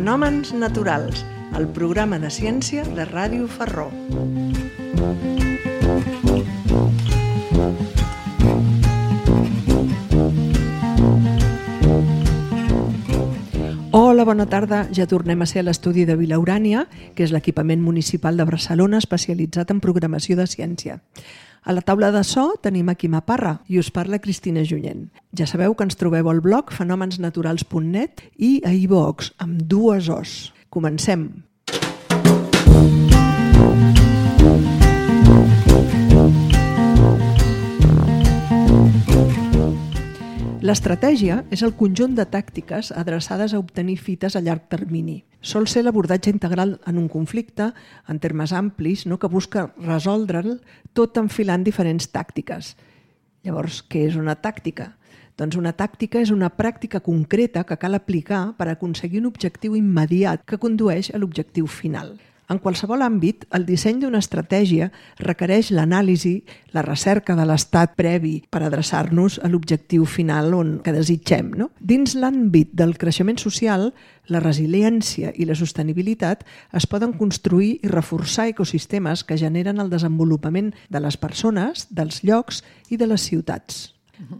Fenòmens naturals, el programa de ciència de Ràdio Ferró. Hola, bona tarda. Ja tornem a ser a l'estudi de Vila Urània, que és l'equipament municipal de Barcelona especialitzat en programació de ciència. A la taula de so tenim a Quima Parra i us parla Cristina Junyent. Ja sabeu que ens trobeu al blog fenomensnaturals.net i a iVoox, amb 2 Os. Comencem! L'estratègia és el conjunt de tàctiques adreçades a obtenir fites a llarg termini. Sol ser l'abordatge integral en un conflicte, en termes amplis, que busca resoldre'l tot enfilant diferents tàctiques. Llavors, què és una tàctica? Doncs una tàctica és una pràctica concreta que cal aplicar per aconseguir un objectiu immediat que condueix a l'objectiu final. En qualsevol àmbit, el disseny d'una estratègia requereix l'anàlisi, la recerca de l'estat previ per adreçar-nos a l'objectiu final que desitgem. Dins l'àmbit del creixement social, la resiliència i la sostenibilitat es poden construir i reforçar ecosistemes que generen el desenvolupament de les persones, dels llocs i de les ciutats.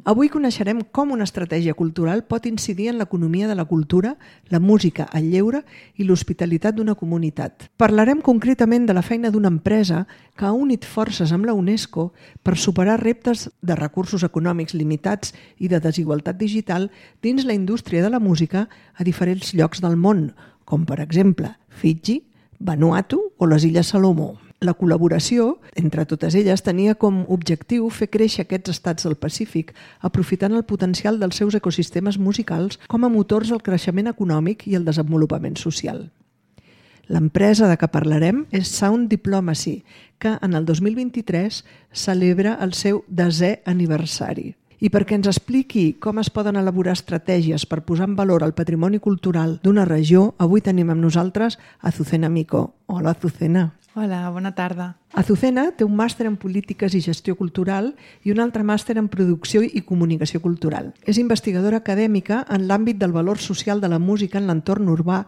Avui coneixerem com una estratègia cultural pot incidir en l'economia de la cultura, la música, el lleure i l'hospitalitat d'una comunitat. Parlarem concretament de la feina d'una empresa que ha unit forces amb la UNESCO per superar reptes de recursos econòmics limitats i de desigualtat digital dins la indústria de la música a diferents llocs del món, com per exemple Fiji, Vanuatu o les Illes Salomó. La col·laboració entre totes elles tenia com objectiu fer créixer aquests estats del Pacífic, aprofitant el potencial dels seus ecosistemes musicals com a motors al creixement econòmic i el desenvolupament social. L'empresa de què parlarem és Sound Diplomacy, que en el 2023 celebra el seu 10è aniversari. I perquè ens expliqui com es poden elaborar estratègies per posar en valor el patrimoni cultural d'una regió, avui tenim amb nosaltres Azucena Mico. Hola, Azucena. Hola, bona tarda. Azucena té un màster en Polítiques i Gestió Cultural i un altre màster en Producció i Comunicació Cultural. És investigadora acadèmica en l'àmbit del valor social de la música en l'entorn urbà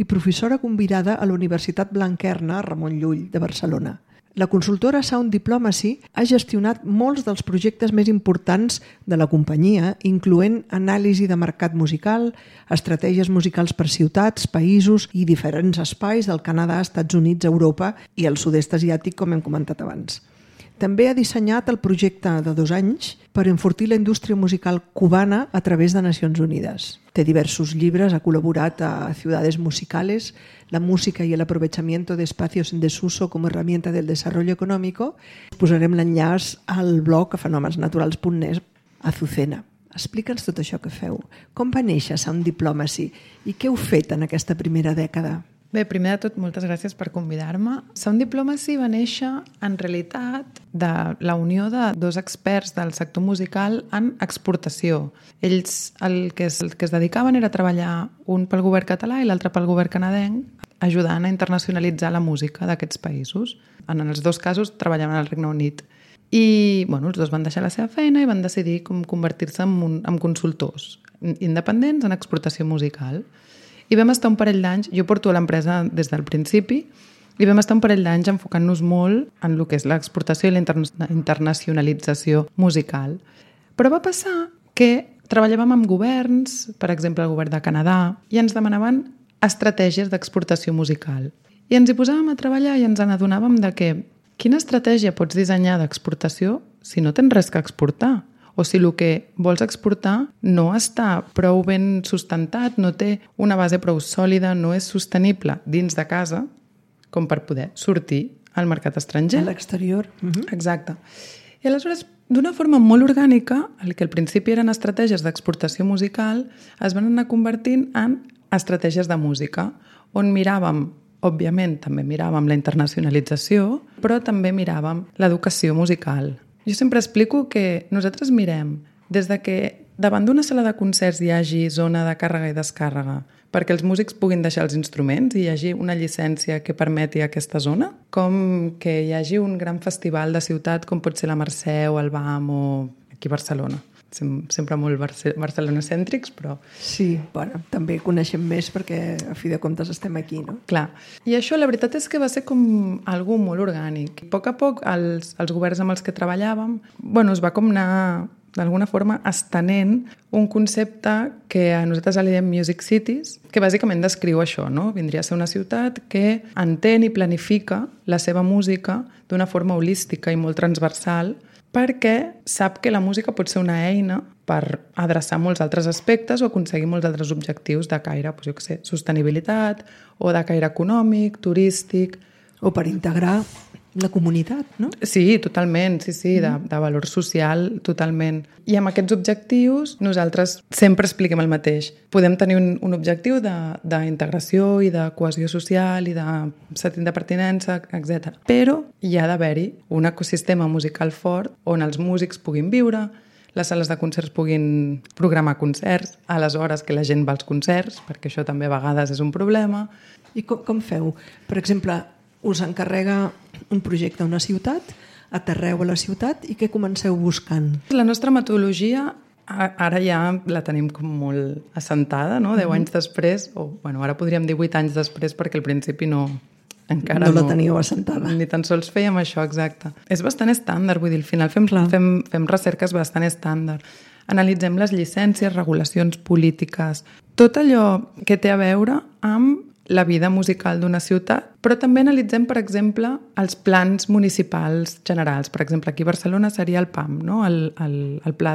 i professora convidada a la Universitat Blanquerna Ramon Llull de Barcelona. La consultora Sound Diplomacy ha gestionat molts dels projectes més importants de la companyia, incloent anàlisi de mercat musical, estratègies musicals per ciutats, països i diferents espais del Canadà, Estats Units, Europa i el sud-est asiàtic, com hem comentat abans. També ha dissenyat el projecte de 2 anys per enfortir la indústria musical cubana a través de Nacions Unides. Té diversos llibres, ha col·laborat a Ciudades Musicales, la música y el aprovechamiento de espacios en desuso como herramienta del desarrollo económico. Posarem l'enllaç al blog a fenomensnaturals.net. Azucena, explica'ns tot això que feu. Com va néixer Sound Diplomacy i què heu fet en aquesta primera dècada? Bé, primer de tot, moltes gràcies per convidar-me. Sound Diplomacy va néixer, en realitat, de la unió de 2 experts del sector musical en exportació. Ells el que es dedicaven era treballar un pel govern català i l'altre pel govern canadenc, ajudant a internacionalitzar la música d'aquests països. En els 2 casos treballaven al Regne Unit. I els 2 van deixar la seva feina i van decidir convertir-se en consultors independents en exportació musical. I vam estar un parell d'anys, jo porto a l'empresa des del principi, i vam estar un parell d'anys enfocant-nos molt en el que és l'exportació i la internacionalització musical. Però va passar que treballàvem amb governs, per exemple el govern de Canadà, i ens demanaven estratègies d'exportació musical. I ens hi posàvem a treballar i ens n'adonàvem de que quina estratègia pots dissenyar d'exportació si no tens res que exportar? O si el que vols exportar no està prou ben sustentat, no té una base prou sòlida, no és sostenible dins de casa com per poder sortir al mercat estranger. A l'exterior. Exacte. I aleshores, d'una forma molt orgànica, el que al principi eren estratègies d'exportació musical es van anar convertint en estratègies de música, on miràvem, òbviament, també miràvem la internacionalització, però també miràvem l'educació musical. Jo sempre explico que nosaltres mirem des de que davant d'una sala de concerts hi hagi zona de càrrega i descàrrega perquè els músics puguin deixar els instruments i hi hagi una llicència que permeti aquesta zona, com que hi hagi un gran festival de ciutat com pot ser la Mercè o el BAM o aquí a Barcelona. sempre molt barcelonocèntrics, però... Sí, bueno, també coneixem més perquè a fi de comptes estem aquí, no? Clar. I això la veritat és que va ser com algo molt orgànic. A poc, els governs amb els que treballàvem, es va com anar d'alguna forma estenent un concepte que a nosaltres li diem Music Cities, que bàsicament descriu això, no? Vindria a ser una ciutat que entén i planifica la seva música d'una forma holística i molt transversal, perquè sap que la música pot ser una eina per adreçar molts altres aspectes o aconseguir molts altres objectius de caire, sostenibilitat, o de caire econòmic, turístic... O per integrar la comunitat, no? Sí, totalment, sí, de valor social, totalment. I amb aquests objectius nosaltres sempre expliquem el mateix. Podem tenir un objectiu d'integració i de cohesió social i de sentit de pertinença, etc. Però hi ha d'haver-hi un ecosistema musical fort on els músics puguin viure, les sales de concerts puguin programar concerts a les hores que la gent va als concerts, perquè això també a vegades és un problema. I com feu? Per exemple, us encarrega un projecte a una ciutat, aterreu a la ciutat i què comenceu buscant? La nostra metodologia ara ja la tenim com molt assentada, no? 10 anys després, ara podríem dir 8 anys després perquè al principi encara no la teníeu assentada. Ni tan sols fèiem això, exacte. És bastant estàndard, vull dir, al final fem recerques bastant estàndard. Analitzem les llicències, regulacions polítiques, tot allò que té a veure amb la vida musical d'una ciutat, però també analitzem, per exemple, els plans municipals generals. Per exemple, aquí a Barcelona seria el PAM, no? El Pla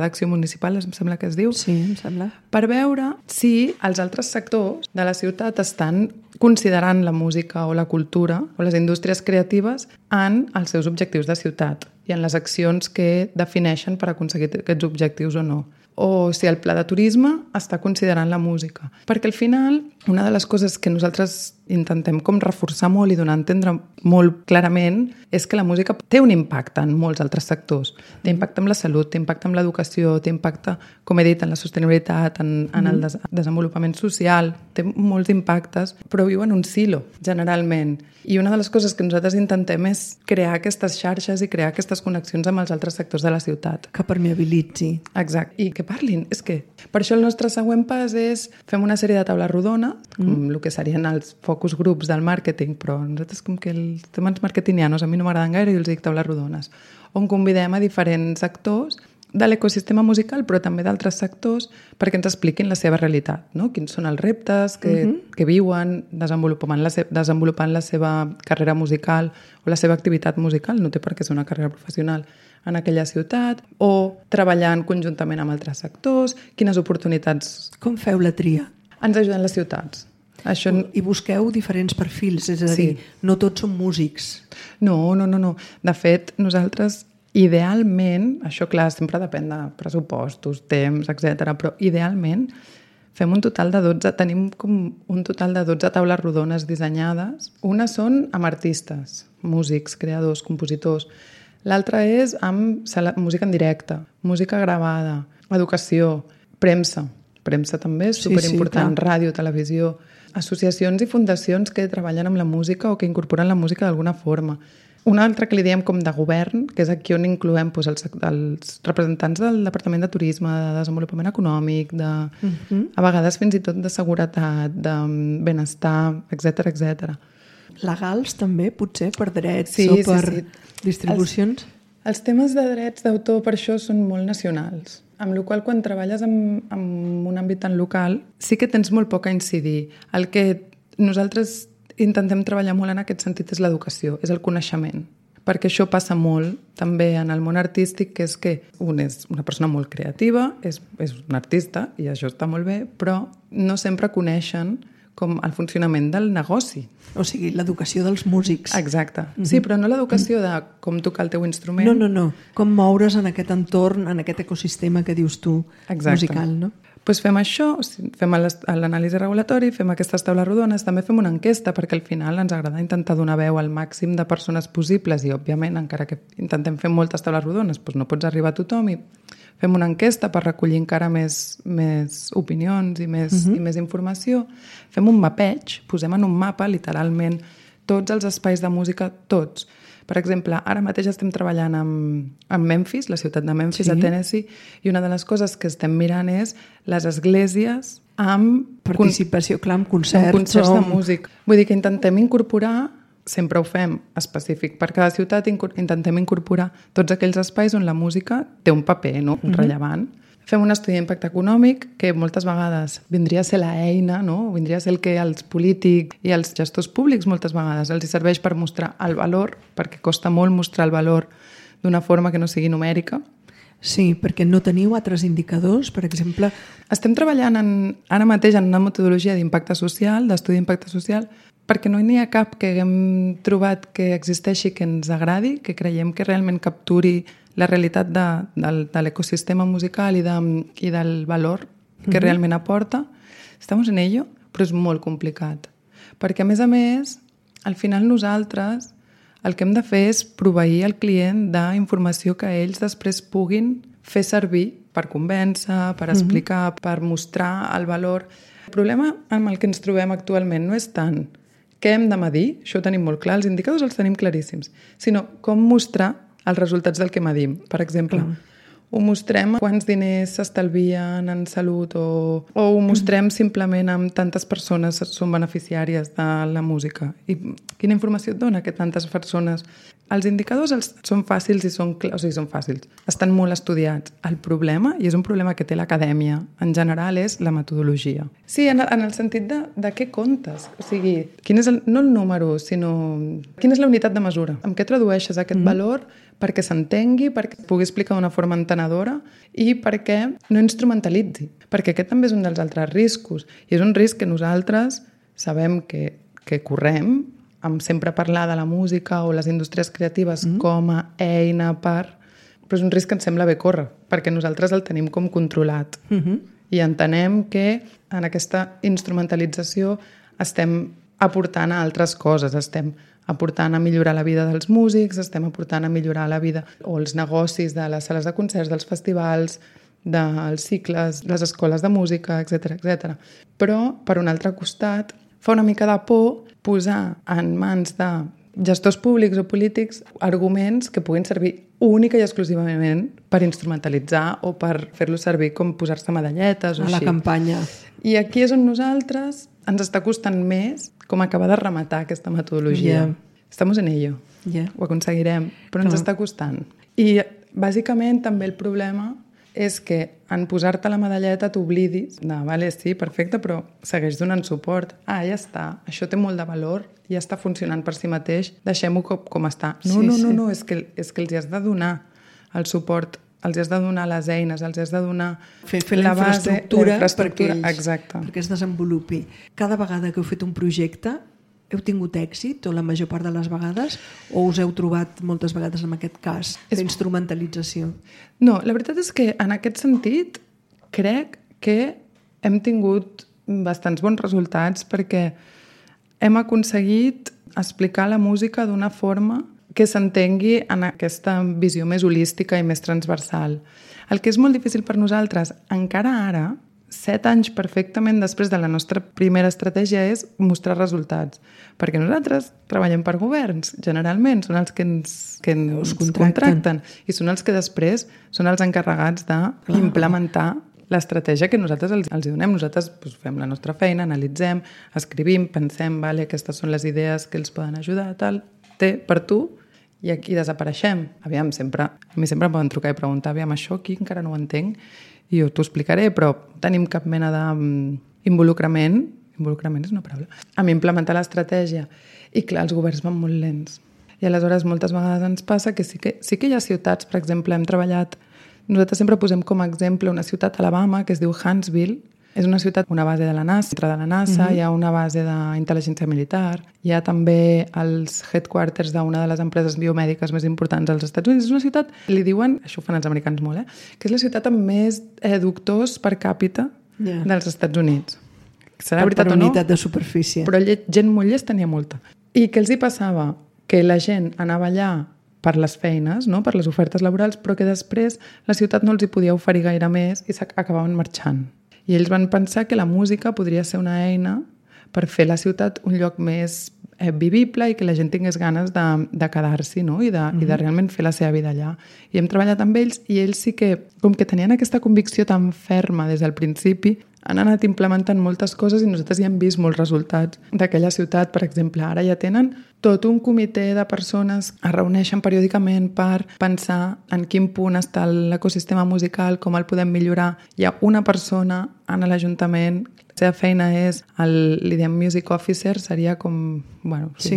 d'Acció Municipal, em sembla que es diu. Sí, em sembla. Per veure si els altres sectors de la ciutat estan considerant la música o la cultura o les indústries creatives en els seus objectius de ciutat i en les accions que defineixen per aconseguir aquests objectius o no. O si el pla de turisme està considerant la música. Perquè al final, una de les coses que nosaltres intentem com reforçar molt i donar a entendre molt clarament és que la música té un impacte en molts altres sectors. Té impacte en la salut, té impacte en l'educació, té impacte, com he dit, en la sostenibilitat, en el desenvolupament social. Té molts impactes, però viu en un silo, generalment. I una de les coses que nosaltres intentem és crear aquestes xarxes i crear aquestes connexions amb els altres sectors de la ciutat. Que permeabilitzi. Exacte. I que parlin. És que per això el nostre següent pas és fem una sèrie de taules rodones, com el que serien els focus grups del màrqueting, però nosaltres com que els temes marketingianos a mi no m'agraden gaire i els dic taules rodones, on convidem a diferents actors de l'ecosistema musical, però també d'altres sectors, perquè ens expliquin la seva realitat, no? Quins són els reptes que viuen desenvolupant la seva carrera musical o la seva activitat musical, no té per què ser una carrera professional en aquella ciutat, o treballant conjuntament amb altres sectors, quines oportunitats... Com feu la tria? Ens ajuden les ciutats. Això... I busqueu diferents perfils, és a dir, no tots són músics. No. De fet, nosaltres... Idealment, això clar, sempre depèn de pressupostos, temps, etc. Però idealment fem tenim com un total de 12 taules rodones dissenyades. Una són amb artistes, músics, creadors, compositors. L'altra és amb música en directe, música gravada, educació, premsa. Premsa també és superimportant, ràdio, televisió, associacions i fundacions que treballen amb la música o que incorporen la música d'alguna forma. Una altra que li diem com de govern, que és aquí on incloem els representants del Departament de Turisme, de Desenvolupament Econòmic, a vegades fins i tot de seguretat, de benestar, etc. Legals també, potser, per drets o per distribucions? Els temes de drets d'autor per això són molt nacionals, amb la qual cosa quan treballes en un àmbit tan local sí que tens molt poc a incidir. El que nosaltres intentem treballar molt en aquest sentit és l'educació, és el coneixement, perquè això passa molt també en el món artístic, que és que un és una persona molt creativa, és un artista i això està molt bé, però no sempre coneixen com el funcionament del negoci. O sigui, l'educació dels músics. Exacte. Sí, però no l'educació de com tocar el teu instrument. No. Com moure's en aquest entorn, en aquest ecosistema que dius tu, musical, no? Doncs fem això, fem l'anàlisi regulatori, fem aquestes taules rodones, també fem una enquesta, perquè al final ens agrada intentar donar veu al màxim de persones possibles i, òbviament, encara que intentem fer moltes taules rodones, doncs no pots arribar a tothom i fem una enquesta per recollir encara més opinions i més informació. Fem un mapeig, posem en un mapa, literalment, tots els espais de música, tots. Per exemple, ara mateix estem treballant amb Memphis, la ciutat de Memphis, a Tennessee, i una de les coses que estem mirant és les esglésies amb participació, clar, amb concerts. Amb concerts de músic. Vull dir que intentem incorporar, sempre ho fem específic per cada ciutat, intentem incorporar tots aquells espais on la música té un paper, no? Rellevant. Fem un estudi d'impacte econòmic que moltes vegades vindria a ser l'eina, no? Vindria a ser el que els polítics i els gestors públics moltes vegades els serveix per mostrar el valor, perquè costa molt mostrar el valor d'una forma que no sigui numèrica. Sí, perquè no teniu altres indicadors, per exemple... Estem treballant ara mateix en una metodologia d'impacte social, d'estudi d'impacte social, perquè no n'hi ha cap que haguem trobat que existeixi que ens agradi, que creiem que realment capturi la realitat de l'ecosistema musical i del valor que realment aporta. Estamos en ello, però és molt complicat. Perquè, a més, al final nosaltres el que hem de fer és proveir el client d'informació que ells després puguin fer servir per convèncer, per explicar, per mostrar el valor. El problema amb el que ens trobem actualment no és tant què hem de medir, això ho tenim molt clar, els indicadors els tenim claríssims, sinó com mostrar els resultats del que medim. Per exemple, ho mostrem quants diners s'estalvien en salut o ho mostrem simplement amb tantes persones són beneficiàries de la música. I quina informació et dona que tantes persones... Els indicadors són fàcils i són fàcils. Estan molt estudiats. El problema, i és un problema que té l'acadèmia en general, és la metodologia. Sí, en el sentit de què comptes. O sigui, quin és no el número, sinó quina és la unitat de mesura. Amb què tradueixes aquest valor perquè s'entengui, perquè es pugui explicar d'una forma entenedora i perquè no instrumentalitzi. Perquè aquest també és un dels altres riscos. I és un risc que nosaltres sabem que correm, amb sempre parlar de la música o les indústries creatives com a eina però és un risc que ens sembla bé córrer, perquè nosaltres el tenim com controlat. I entenem que en aquesta instrumentalització estem aportant a altres coses, estem aportant a millorar la vida dels músics, estem aportant a millorar la vida o els negocis de les sales de concerts, dels festivals, dels cicles, les escoles de música, etc. Però, per un altre costat, fa una mica de por posar en mans de gestors públics o polítics arguments que puguin servir única i exclusivament per instrumentalitzar o per fer-lo servir com posar-se medalletes o així. A la campanya. I aquí és on nosaltres ens està costant més com acabar de rematar aquesta metodologia. Estamos en ello. Ho aconseguirem, però ens està costant. I bàsicament també el problema és que en posar-te la medalleta t'oblidis de, vale, sí, perfecte, però segueix donant suport. Ja està, això té molt de valor, ja està funcionant per si mateix, deixem-ho com està. No, és que els has de donar el suport, els has de donar les eines, els has de donar fer la infraestructura perquè es desenvolupi. Cada vegada que heu fet un projecte, heu tingut èxit, o la major part de les vegades, o us heu trobat moltes vegades en aquest cas d'instrumentalització? No, la veritat és que en aquest sentit crec que hem tingut bastants bons resultats perquè hem aconseguit explicar la música d'una forma que s'entengui en aquesta visió més holística i més transversal. El que és molt difícil per nosaltres, encara ara, 7 anys perfectament després de la nostra primera estratègia, és mostrar resultats. Perquè nosaltres treballem per governs, generalment, són els que ens contracten i són els que després són els encarregats d'implementar l'estratègia que nosaltres els donem. Nosaltres fem la nostra feina, analitzem, escrivim, pensem, vale, aquestes són les idees que els poden ajudar, tal, té per tu, i aquí desapareixem. A mi sempre em poden trucar i preguntar, això aquí encara no ho entenc, i jo t'ho explicaré, però tenim cap mena d'involucrament, involucrament és una paraula, amb implementar l'estratègia. I clar, els governs van molt lents. I aleshores moltes vegades ens passa que sí que hi ha ciutats, per exemple, hem treballat, nosaltres sempre posem com a exemple una ciutat a Alabama que es diu Huntsville. És una ciutat, una base de la NASA, hi ha una base d'intel·ligència militar, hi ha també els headquarters d'una de les empreses biomèdiques més importants als Estats Units. És una ciutat, li diuen, això ho fan els americans molt, que és la ciutat amb més doctors per càpita dels Estats Units. Serà veritat o no? Per unitat de superfície. Però gent molt llesta n'hi ha molta. I què els hi passava? Que la gent anava allà per les feines, no? Per les ofertes laborals, però que després la ciutat no els hi podia oferir gaire més i s'acabaven marxant. I ells van pensar que la música podria ser una eina per fer la ciutat un lloc més vivible i que la gent tingués ganes de quedar-s'hi, no? I de realment fer la seva vida allà. I hem treballat amb ells i ells sí que, com que tenien aquesta convicció tan ferma des del principi, han anat implementant moltes coses i nosaltres ja hem vist molts resultats d'aquella ciutat. Per exemple, ara ja tenen tot un comitè de persones que es reuneixen periòdicament per pensar en quin punt està l'ecosistema musical, com el podem millorar. Hi ha una persona en l'Ajuntament, la seva feina és, li diem music officer, seria com, bueno, no sé,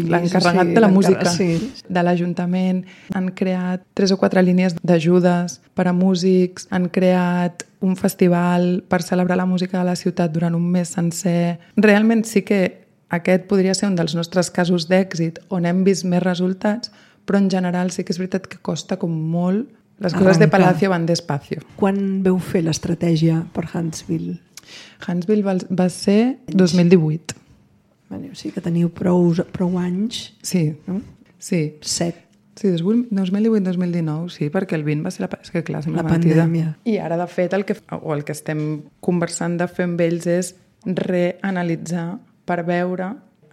l'encarregat de la música de l'Ajuntament. Han creat 3 o 4 línies d'ajudes per a músics, han creat un festival per celebrar la música de la ciutat durant un mes sencer. Realment sí que aquest podria ser un dels nostres casos d'èxit on hem vist més resultats, però en general sí que és veritat que costa com molt. Les coses de Palacio van despacio. Quan veu fer l'estratègia per Huntsville? Huntsville va ser 2018. O sigui que teniu prou anys. Sí, no? Sí. 7. Sí, 2018-2019, sí, perquè el 20 va ser la pandèmia. I ara, de fet, el que estem conversant de fer amb ells és reanalitzar per veure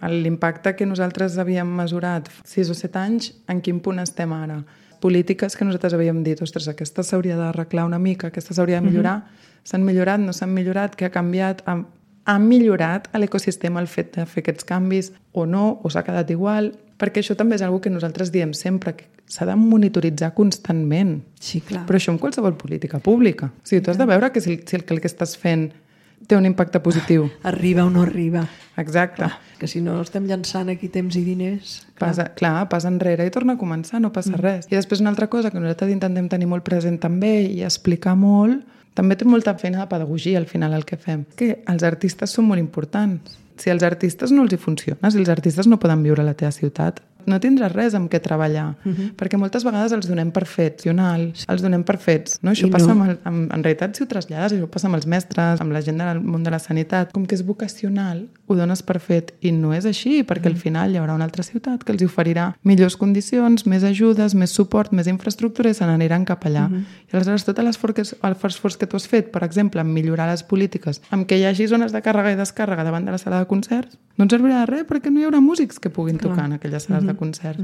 l'impacte que nosaltres havíem mesurat 6 o 7 anys, en quin punt estem ara. Polítiques que nosaltres havíem dit, ostres, aquesta s'hauria d'arreglar una mica, aquesta s'hauria de millorar, s'han millorat, no s'han millorat, què ha canviat? Ha millorat l'ecosistema el fet de fer aquests canvis o no, o s'ha quedat igual? Perquè això també és una que nosaltres diem sempre, que s'ha de monitoritzar constantment. Sí, clar. Però això en qualsevol política pública. O sigui, tu has de veure que si el que estàs fent té un impacte positiu. Arriba o no arriba. Exacte. Clar, que si no estem llançant aquí temps i diners... Passa enrere i torna a començar, no passa res. I després una altra cosa que nosaltres intentem tenir molt present també i explicar molt, també té molta feina de pedagogia al final el que fem. Que els artistes són molt importants. Si als artistes no els hi funciona, si els artistes no poden viure a la teva ciutat, no tindràs res amb què treballar, perquè moltes vegades els donem per fets, els donem per fets. No? Això passa en realitat, si ho trasllades, això passa amb els mestres, amb la gent del món de la sanitat. Com que és vocacional, ho dones per fet, i no és així, perquè al final hi haurà una altra ciutat que els oferirà millors condicions, més ajudes, més suport, més infraestructura, i se n'aniran cap allà. I aleshores tot l'esforç que tu has fet, per exemple, en millorar les polítiques, amb que hi hagi zones de càrrega i descàrrega davant de la sala de concerts, no ens servirà de res perquè no hi haurà músics que puguin tocar en aquelles sales de concerts.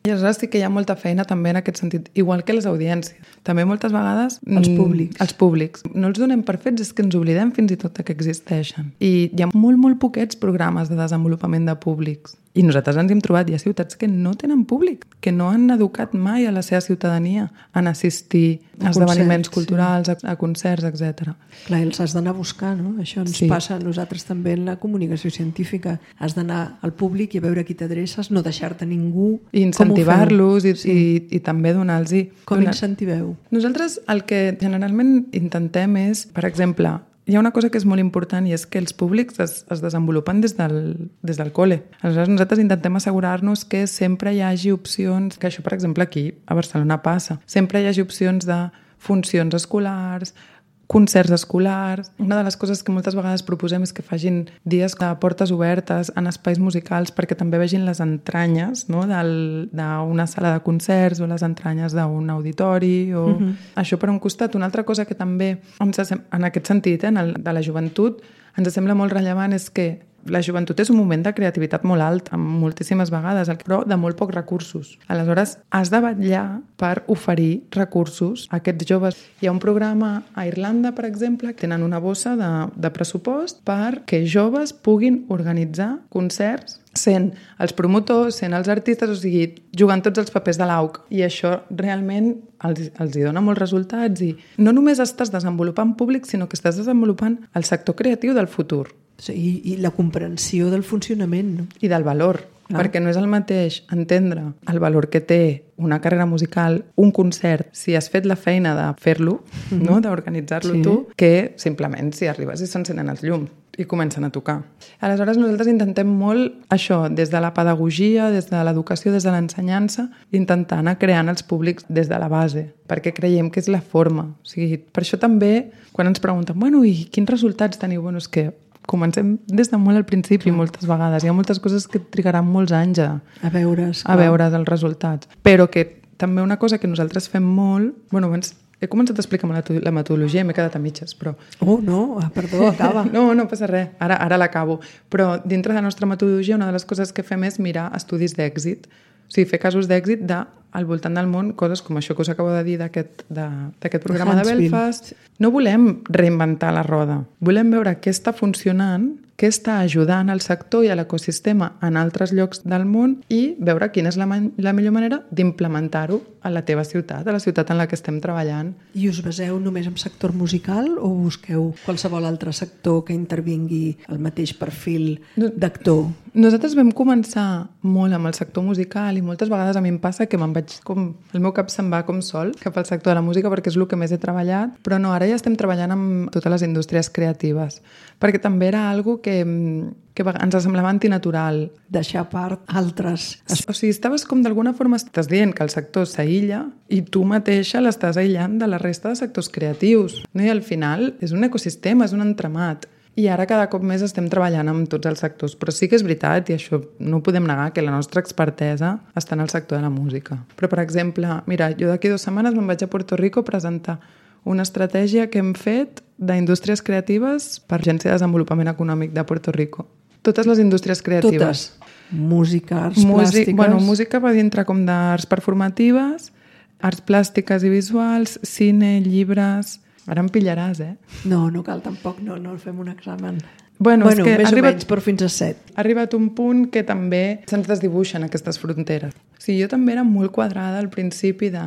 I aleshores sí que hi ha molta feina també en aquest sentit, igual que les audiències. També moltes vegades... Els públics. No els donem per fets, és que ens oblidem fins i tot que existeixen. I hi ha molt poquets programes de desenvolupament de públics. I nosaltres ens hem trobat, hi ha ciutats que no tenen públic, que no han educat mai a la seva ciutadania en assistir a esdeveniments culturals, a concerts, etc. Clar, els has d'anar a buscar, no? Això ens passa a nosaltres també en la comunicació científica. Has d'anar al públic i a veure qui t'adreces, no deixar-te ningú. I incentivar-los i també donar-los... Com incentiveu? Nosaltres el que generalment intentem és, per exemple, hi ha una cosa que és molt important i és que els públics es desenvolupen des del col·le. Aleshores nosaltres intentem assegurar-nos que sempre hi hagi opcions, que això per exemple aquí a Barcelona passa, sempre hi hagi opcions de funcions escolars, concerts escolars. Una de les coses que moltes vegades proposem és que facin dies de portes obertes en espais musicals perquè també vegin les entranyes, no? d'una sala de concerts o les entranyes d'un auditori. O... Això per un costat. Una altra cosa que també, en aquest sentit, de la joventut, ens sembla molt rellevant és que la joventut és un moment de creativitat molt alt, moltíssimes vegades, però de molt pocs recursos. Aleshores, has de vetllar per oferir recursos a aquests joves. Hi ha un programa a Irlanda, per exemple, que tenen una bossa de pressupost perquè joves puguin organitzar concerts sent els promotors, sent els artistes, o sigui, jugant tots els papers de l'AUC. I això realment els hi dona molts resultats i no només estàs desenvolupant públic, sinó que estàs desenvolupant el sector creatiu del futur. I la comprensió del funcionament. No? I del valor, perquè no és el mateix entendre el valor que té una carrera musical, un concert, si has fet la feina de fer-lo, no? D'organitzar-lo tu, que simplement si arribes i s'encenen els llums i comencen a tocar. Aleshores nosaltres intentem molt això, des de la pedagogia, des de l'educació, des de l'ensenyança, intentar anar creant els públics des de la base, perquè creiem que és la forma. O sigui, per això també, quan ens pregunten, bueno, i quins resultats teniu? Bueno, és que comencem des de molt al principi moltes vegades. Hi ha moltes coses que trigaran molts anys a veure els resultats. Però que també una cosa que nosaltres fem molt... Bueno, abans He començat a explicar la metodologia i m'he quedat a mitges, però... Oh, no, perdó, acaba. No passa res, ara l'acabo. Però dintre de la nostra metodologia una de les coses que fem és mirar estudis d'èxit, o sigui, fer casos d'èxit al voltant del món, coses com això que us acabo de dir d'aquest programa de Belfast. No volem reinventar la roda, volem veure què està funcionant, què està ajudant al sector i a l'ecosistema en altres llocs del món i veure quina és la millor manera d'implementar-ho a la teva ciutat, a la ciutat en la que estem treballant. I us baseu només en sector musical o busqueu qualsevol altre sector que intervingui el mateix perfil d'actor? Nosaltres vam començar molt amb el sector musical i moltes vegades a mi em passa que el meu cap se'n va com sol cap al sector de la música perquè és el que més he treballat, però no, ara ja estem treballant amb totes les indústries creatives, perquè també era algo que ens semblava antinatural. Deixar a part altres. O sigui, estaves com d'alguna forma estàs dient que el sector s'aïlla i tu mateixa l'estàs aïllant de la resta de sectors creatius. No? I al final és un ecosistema, és un entramat. I ara cada cop més estem treballant amb tots els sectors. Però sí que és veritat, i això no ho podem negar, que la nostra expertesa està en el sector de la música. Però, per exemple, mira, jo d'aquí 2 setmanes me'n vaig a Puerto Rico a presentar una estratègia que hem fet d'indústries creatives per l'Agència de Desenvolupament Econòmic de Puerto Rico. Totes les indústries creatives. Totes. Música, arts plàstiques... Bueno, música va dintre com d'arts performatives, arts plàstiques i visuals, cine, llibres... Ara em pillaràs, No cal tampoc, no fem un examen. Bueno, és que més o menys, però fins a 7. Ha arribat un punt que també se'ns desdibuixen aquestes fronteres. O sigui, jo també era molt quadrada al principi de...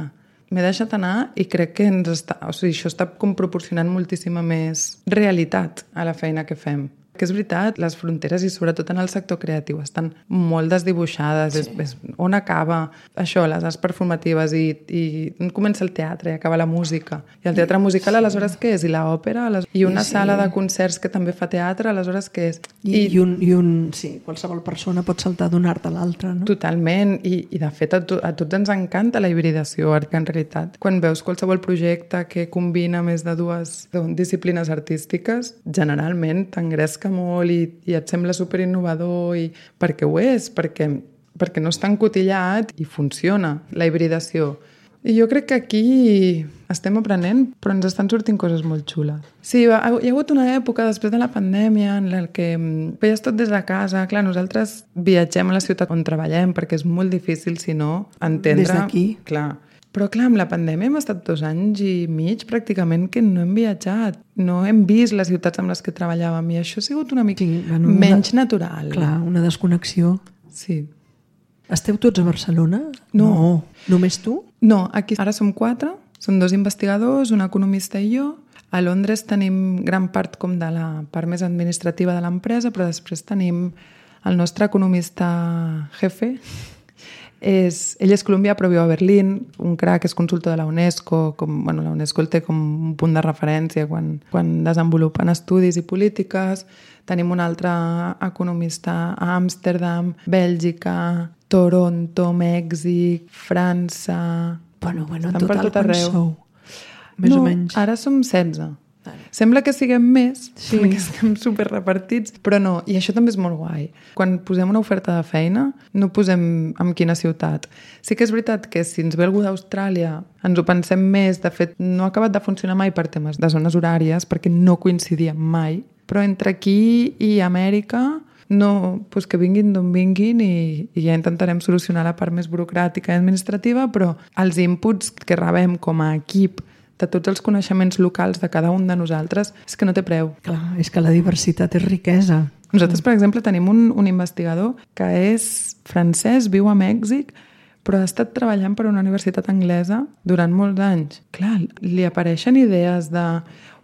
M'he deixat anar i crec que això està com proporcionant moltíssima més realitat a la feina que fem. Que és veritat, les fronteres i sobretot en el sector creatiu estan molt desdibuixades. Sí. És on acaba això, les arts performatives i on comença el teatre i acaba la música. I el teatre musical aleshores què és? I l'òpera? I una sala de concerts que també fa teatre aleshores què és? Sí, qualsevol persona pot saltar d'un art a l'altre, no? Totalment. I de fet a tots ens encanta la hibridació, que en realitat quan veus qualsevol projecte que combina més de 2 disciplines artístiques, generalment t'engresca molt i et sembla superinnovador perquè ho és, perquè no està encotillat i funciona la hibridació. I jo crec que aquí estem aprenent, però ens estan sortint coses molt xules. Sí, hi ha hagut una època després de la pandèmia en la que veies tot des de casa. Clar, nosaltres viatgem a la ciutat on treballem perquè és molt difícil, si no, entendre... Des d'aquí. Clar. Però clar, amb la pandèmia hem estat 2 anys i mig pràcticament que no hem viatjat. No hem vist les ciutats amb les que treballàvem i això ha sigut una mica menys natural. Clar, una desconnexió. Sí. Esteu tots a Barcelona? No. Només tu? No, aquí ara som 4. Són 2 investigadors, un economista i jo. A Londres tenim gran part com de la part més administrativa de l'empresa, però després tenim el nostre economista jefe. Ell és colombià però viu a Berlín, un crac, és consultor de la UNESCO, la UNESCO el té com un punt de referència quan desenvolupen estudis i polítiques. Tenim un altre economista a Amsterdam, Bèlgica, Toronto, Mèxic, França... Bueno, en total quants sou? Més o menys. Ara som 16. Sembla que siguem més, perquè estem superrepartits, però no, i això també és molt guai. Quan posem una oferta de feina, no posem en quina ciutat. Sí que és veritat que si ens ve algú d'Austràlia, ens ho pensem més, de fet, no ha acabat de funcionar mai per temes de zones horàries, perquè no coincidíem mai, però entre aquí i Amèrica, que vinguin d'on vinguin i ja intentarem solucionar la part més burocràtica i administrativa, però els inputs que rebem com a equip de tots els coneixements locals de cada un de nosaltres, és que no té preu. Clar, és que la diversitat és riquesa. Nosaltres, per exemple, tenim un investigador que és francès, viu a Mèxic, però ha estat treballant per una universitat anglesa durant molts anys. Clar, li apareixen idees de...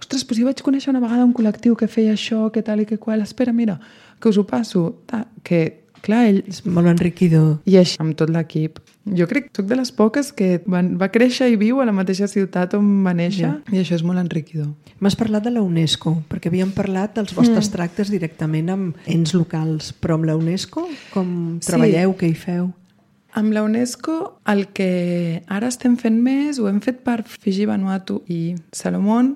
Ostres, jo vaig conèixer una vegada un col·lectiu que feia això, que tal i que qual. Espera, mira, que us ho passo. Que, clar, ell... És molt enriquidor. I així, amb tot l'equip. Jo crec que soc de les poques que va créixer i viu a la mateixa ciutat on va néixer, i això és molt enriquidor. M'has parlat de la UNESCO, perquè havíem parlat dels vostres tractes directament amb ens locals, però amb la UNESCO com treballeu, què hi feu? Amb la UNESCO el que ara estem fent més ho hem fet per Fiji, Vanuatu i Salomón,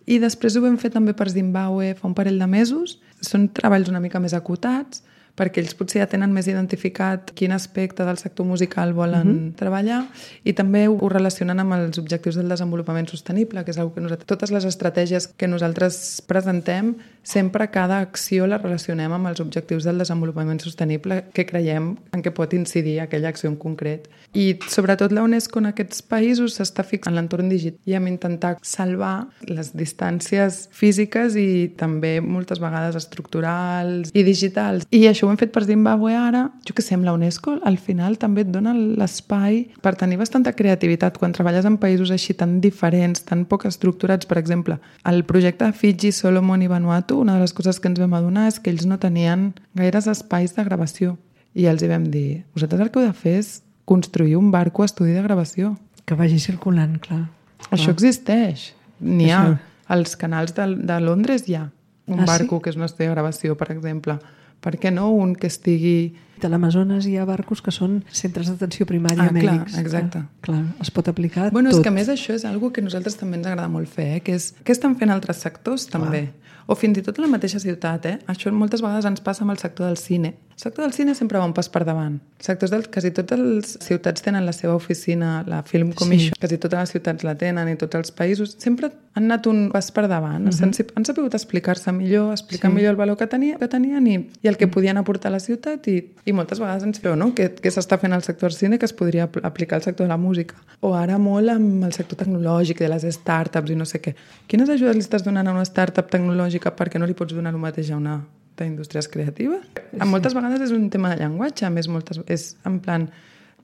i després ho hem fet també per Zimbàbue fa un parell de mesos. Són treballs una mica més acotats, perquè ells potser ja tenen més identificat quin aspecte del sector musical volen treballar, i també ho relacionen amb els objectius del desenvolupament sostenible, que és una que totes les estratègies que nosaltres presentem, sempre cada acció la relacionem amb els objectius del desenvolupament sostenible que creiem en què pot incidir aquella acció en concret. I sobretot la UNESCO en aquests països s'està fixant en l'entorn digital i hem intentat salvar les distàncies físiques i també moltes vegades estructurals i digitals. I això ho hem fet per Zimbàbue ara. Jo què sé, amb la UNESCO al final també et dona l'espai per tenir bastanta creativitat quan treballes en països així tan diferents, tan poc estructurats. Per exemple, el projecte de Fiji, Solomon i Vanuatu, una de les coses que ens vam adonar és que ells no tenien gaires espais de gravació. I els hi vam dir, vosaltres el que heu de fer és construir un barco estudi de gravació. Que vagi circulant, clar. Això existeix. N'hi ha. Als canals de Londres hi ha un barco que és un estudi de gravació, per exemple. Per què no un que estigui... A l'Amazones hi ha barcos que són centres d'atenció primària mèdics. Clar, exacte. Clar, es pot aplicar tot. És que a més això és una que a nosaltres també ens agrada molt fer, que és què estan fent altres sectors també. O fins i tot la mateixa ciutat. Això moltes vegades ens passa amb el sector del cine. El sector del cine sempre va un pas per davant. Quasi totes les ciutats tenen la seva oficina, la Film Commission, quasi totes les ciutats la tenen i tots els països. Sempre han anat un pas per davant. Han sabut explicar-se millor, explicar millor el valor que tenien i el que podien aportar a la ciutat i moltes vegades ens veu, no? Què s'està fent al sector del cine que es podria aplicar al sector de la música. O ara molt amb el sector tecnològic, de les startups i no sé què. Quines ajudes li estàs donant a una startup tecnològica perquè no li pots donar el mateix a una d'indústries creatives? Moltes vegades és un tema de llenguatge, a més és en plan,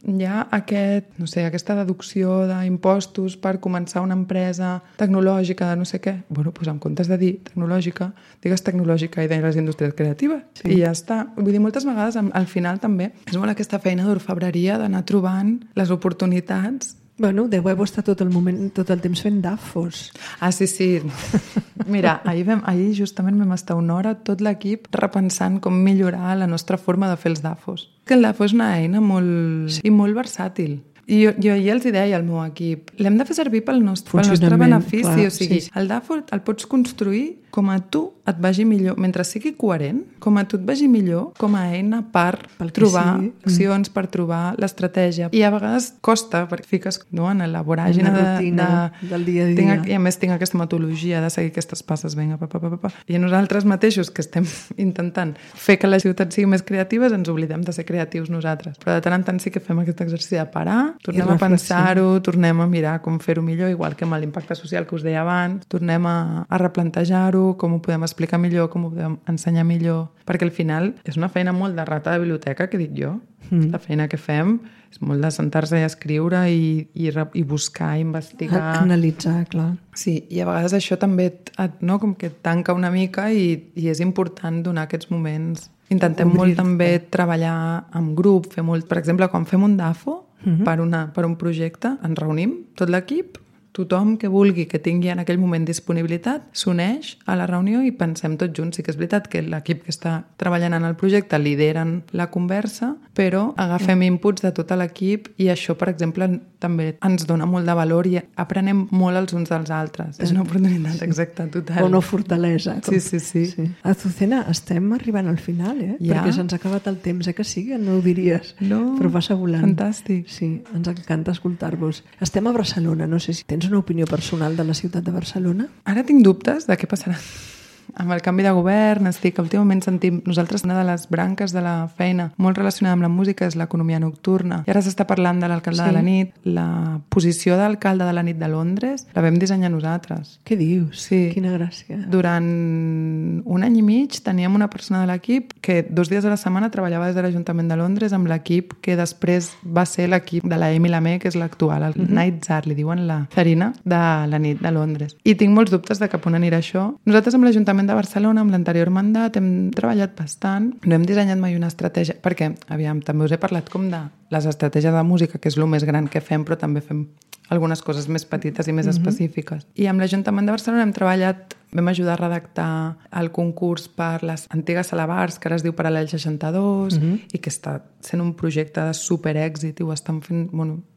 hi ha aquesta deducció d'impostos per començar una empresa tecnològica de no sé què. Bueno, doncs en comptes de dir tecnològica, digues tecnològica i de les indústries creatives. I ja està. Vull dir, moltes vegades al final també és molt aquesta feina d'orfebreria d'anar trobant les oportunitats. Bueno, deveu estar tot el temps fent dafos. Sí. Mira, ahir justament vam estar una hora tot l'equip repensant com millorar la nostra forma de fer els dafos. Que el dafo és una eina molt versàtil. I jo ahir els deia al meu equip, l'hem de fer servir pel nostre benefici. Clar, o sigui, el dafo el pots construir com a tu et vagi millor, mentre sigui coherent, com a tu et vagi millor, com a eina per trobar accions, per trobar l'estratègia. I a vegades costa, perquè fiques en la voràgina del dia a dia. I a més tinc aquesta metodologia de seguir aquestes passes, vinga, I nosaltres mateixos, que estem intentant fer que la ciutat sigui més creativa, ens oblidem de ser creatius nosaltres. Però de tant en tant sí que fem aquest exercici de parar, tornem a pensar-ho, tornem a mirar com fer-ho millor, igual que amb l'impacte social que us deia abans, tornem a replantejar-ho, com ho podem explicar millor, com ho podem ensenyar millor, perquè al final és una feina molt de rata de biblioteca, que dic jo. La feina que fem és molt de sentar-se i escriure i buscar, investigar. Analitzar, clar. Sí, i a vegades això també com que et tanca una mica i és important donar aquests moments. Intentem molt també treballar en grup, fer molt, per exemple, quan fem un DAFO per un projecte, ens reunim, tot l'equip, tothom que vulgui, que tingui en aquell moment disponibilitat, s'uneix a la reunió i pensem tots junts. Sí que és veritat que l'equip que està treballant en el projecte lideren la conversa, però agafem inputs de tot l'equip i això, per exemple, també ens dona molt de valor i aprenem molt els uns dels altres. És una oportunitat exacta, total. O una fortalesa. Sí. Azucena, estem arribant al final, Ja? Perquè se'ns ha acabat el temps, que sí, que no ho diries. No, però passa volant. Fantàstic. Sí, ens encanta escoltar-vos. Estem a Barcelona, no sé si tens una opinió personal de la ciutat de Barcelona? Ara tinc dubtes de què passarà. Amb el canvi de govern, últimament sentim, nosaltres una de les branques de la feina molt relacionada amb la música és l'economia nocturna. I ara s'està parlant de l'alcalde de la nit. La posició d'alcalde de la nit de Londres la vam dissenyar nosaltres. Què dius? Sí. Quina gràcia. Durant un any i mig teníem una persona de l'equip que 2 dies a la setmana treballava des de l'Ajuntament de Londres amb l'equip que després va ser l'equip de la Amy Lamé, que és l'actual, el Night Czar, li diuen la Zarina de la nit de Londres. I tinc molts dubtes de cap on anirà això. Nosaltres amb l'Ajuntament de Barcelona, amb l'anterior mandat, hem treballat bastant. No hem dissenyat mai una estratègia, perquè, també us he parlat com de les estratègies de música, que és el més gran que fem, però també fem algunes coses més petites i més específiques. I amb l'Ajuntament de Barcelona hem treballat, vam ajudar a redactar el concurs per les antigues salabars, que ara es diu Paral·lel 62, i que està sent un projecte de superèxit i ho estan fent,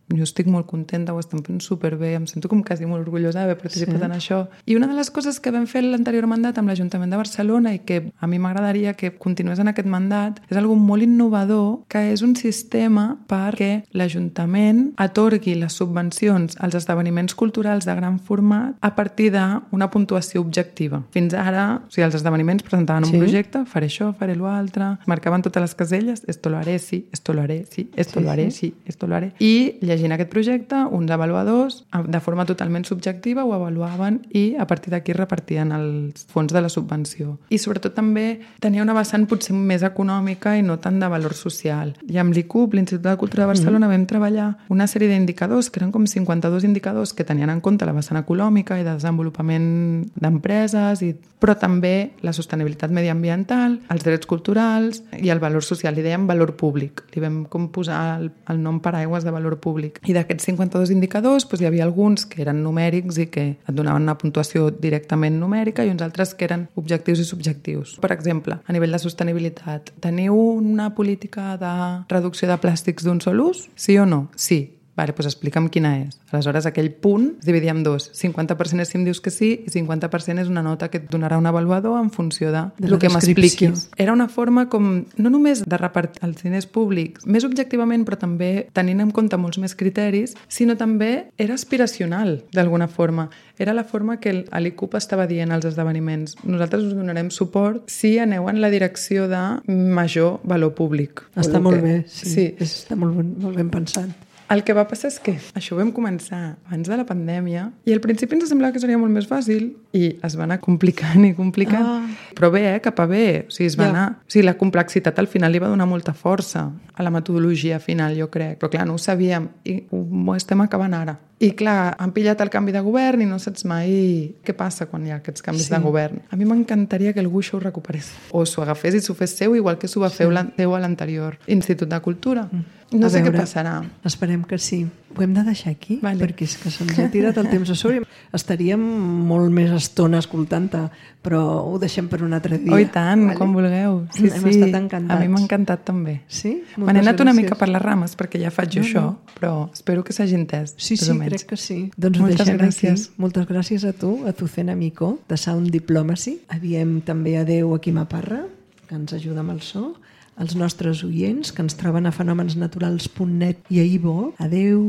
jo estic molt contenta, ho estem fent superbé, em sento com quasi molt orgullosa d'haver participat en això. I una de les coses que vam fer l'anterior mandat amb l'Ajuntament de Barcelona i que a mi m'agradaria que continués en aquest mandat és algo molt innovador, que és un sistema perquè l'Ajuntament atorgui les subvencions als esdeveniments culturals de gran format a partir d'una puntuació objectiva. Fins ara, o sigui, els esdeveniments presentaven un projecte, faré això, faré l'altre, marcaven totes les caselles, esto lo haré, sí, esto lo haré, sí, esto lo haré, sí, esto lo haré. I llegint aquest projecte, uns avaluadors, de forma totalment subjectiva, ho avaluaven i a partir d'aquí repartien els fons de la subvenció. I sobretot també tenia una vessant potser més econòmica i no tant de valor social. I amb l'ICUB, l'Institut de Cultura de Barcelona, vam treballar una sèrie d'indicadors, que eren com 52 indicadors que tenien en compte la vessant econòmica i de desenvolupament d'empreses, però també la sostenibilitat mediambiental, els drets culturals i el valor social. Li dèiem valor públic. Li vam com posar el nom paraigües de valor públic. I d'aquests 52 indicadors hi havia alguns que eren numèrics i que et donaven una puntuació directament numèrica i uns altres que eren objectius i subjectius. Per exemple, a nivell de sostenibilitat, teniu una política de reducció de plàstics d'un sol ús? Sí o no? Sí. Vale, doncs explica'm quina és. Aleshores, aquell punt es dividia en dos. 50% és si em dius que sí i 50% és una nota que et donarà un avaluador en funció de el que m'expliquis. Era una forma com, no només de repartir els diners públics, més objectivament, però també tenint en compte molts més criteris, sinó també era aspiracional, d'alguna forma. Era la forma que l'ICUP estava dient als esdeveniments. Nosaltres us donarem suport si aneu en la direcció de major valor públic. Està molt bé, sí. Està molt ben pensat. El que va passar és que això ho vam començar abans de la pandèmia i al principi ens semblava que seria molt més fàcil i es va anar complicant i complicant. Però bé, cap a bé. O sigui, la complexitat al final li va donar molta força a la metodologia final, jo crec. Però clar, no ho sabíem i ho estem acabant ara. I clar, han pillat el canvi de govern i no saps mai què passa quan hi ha aquests canvis de govern. A mi m'encantaria que algú això ho recuperés. O s'ho agafés i s'ho fes seu, igual que s'ho va fer a l'anterior Institut de Cultura. No sé què passarà. Esperem que sí. Ho hem de deixar aquí, perquè és que se'ns ha tirat el temps a sobre. Estaríem molt més estona escoltant-te, però ho deixem per un altre dia. Oh, i tant, quan vulgueu. Sí, hem estat encantats. A mi m'ha encantat també. Sí? Me n'he anat una mica per les rames, perquè ja faig això, però espero que s'hagi entès. Sí, crec que sí. Doncs ho deixem aquí. Moltes gràcies a tu, a Azucena Micó, de Sound Diplomacy. Diem també adeu a Quima Parra, que ens ajuda amb el so, als nostres oients que ens troben a fenomensnaturals.net i a iVoox. Adeu!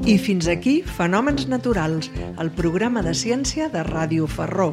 I fins aquí Fenòmens Naturals, el programa de ciència de Ràdio Ferró.